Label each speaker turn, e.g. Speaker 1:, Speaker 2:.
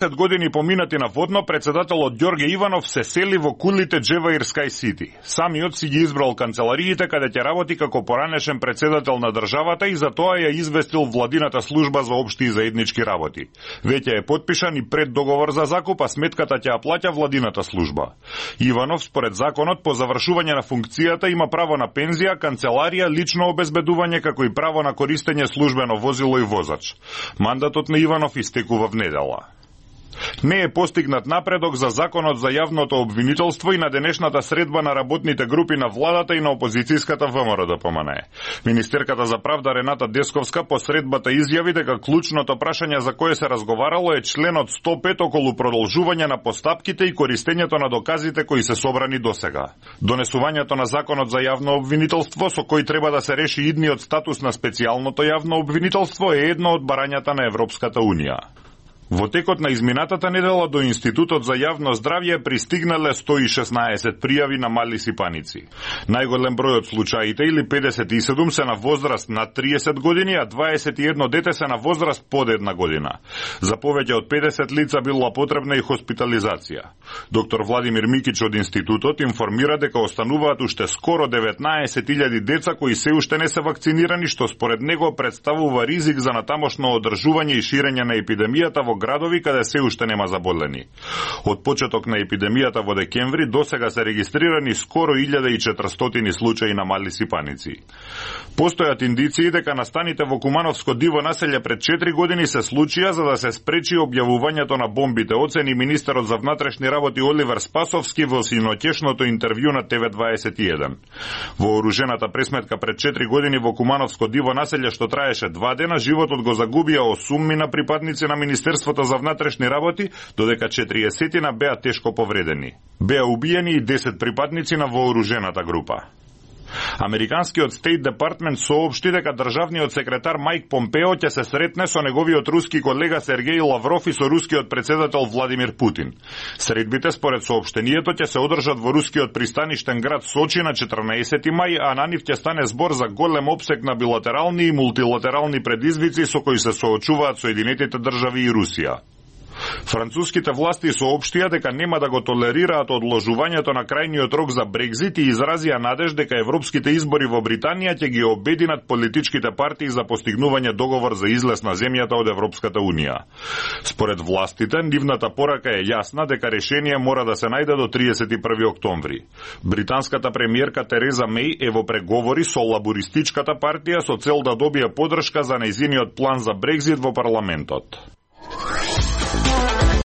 Speaker 1: 10 години поминати на водно, председателот Ѓорге Иванов се сели во кулите Джеваир Скај Сити. Самиот си ги избрал канцелариите каде ќе работи како поранешен председател на државата и за тоа ја известил владината служба за општи и заеднички работи. Веќе е потпишан и преддоговор за закуп, а сметката ќе ја плаќа владината служба. Иванов според законот по завршување на функцијата има право на пензија, канцеларија, лично обезбедување како и право на користење службено возило и возач. Мандатот на Иванов истекува в недела. Не е постигнат напредок за законот за јавното обвинителство и на денешната средба на работните групи на владата и на опозицијската ВМРО-ДПМНЕ. Министерката за правда Рената Десковска по средбата изјави дека клучното прашање за кое се разговарало е членот 105 околу продолжување на постапките и користењето на доказите кои се собрани досега. Донесувањето на законот за јавно обвинителство со кој треба да се реши идниот статус на специјалното јавно обвинителство е едно од барањата на Европската Унија. Во текот на изминатата недела до Институтот за јавно здравје пристигнале 116 пријави на мали сипаници. Најголем број од случаите, или 57, се на возраст над 30 години, а 21 дете се на возраст под 1 година. За повеќе од 50 лица била потребна и хоспитализација. Доктор Владимир Микич од Институтот информира дека остануваат уште скоро 19.000 деца кои се уште не се вакцинирани, што според него представува ризик за натамошно одржување и ширење на епидемијата во градови каде се уште нема заболени. Од почеток на епидемијата во декември досега се регистрирани скоро 1400 случаи на мали сипаници. Постојат индиции дека настаните во Кумановско диво населје пред 4 години се случија за да се спречи објавувањето на бомбите, оцени министерот за внатрешни работи Оливер Спасовски во синоќешното интервју на ТВ21. Во оружената пресметка пред 4 години во Кумановско диво населје што траеше 2 дена, животот го загубија 8 на припадници на Министерството за внатрешни работи, додека 40 беа тешко повредени. Беа убиени и 10 припадници на вооружената група. Американскиот Стейт Департмент соопшти дека државниот секретар Мајк Помпео ќе се сретне со неговиот руски колега Сергеј Лавров и со рускиот председател Владимир Путин. Средбите според соопштението ќе се одржат во рускиот пристаништен град Сочи на 14 мај, а на нив ќе стане збор за голем опсег на билатерални и мултилатерални предизвици со кои се соочуваат Соединетите држави и Русија. Француските власти соопштија дека нема да го толерираат одложувањето на крајниот рок за Брекзит и изразија надеж дека европските избори во Британија ќе ги обединат политичките партии за постигнување договор за излез на земјата од Европската Унија. Според властите, нивната порака е јасна дека решение мора да се најде до 31 октомври. Британската премиерка Тереза Меј е во преговори со лабористичката партија со цел да добие поддршка за нејзиниот план за Брекзит во парламентот.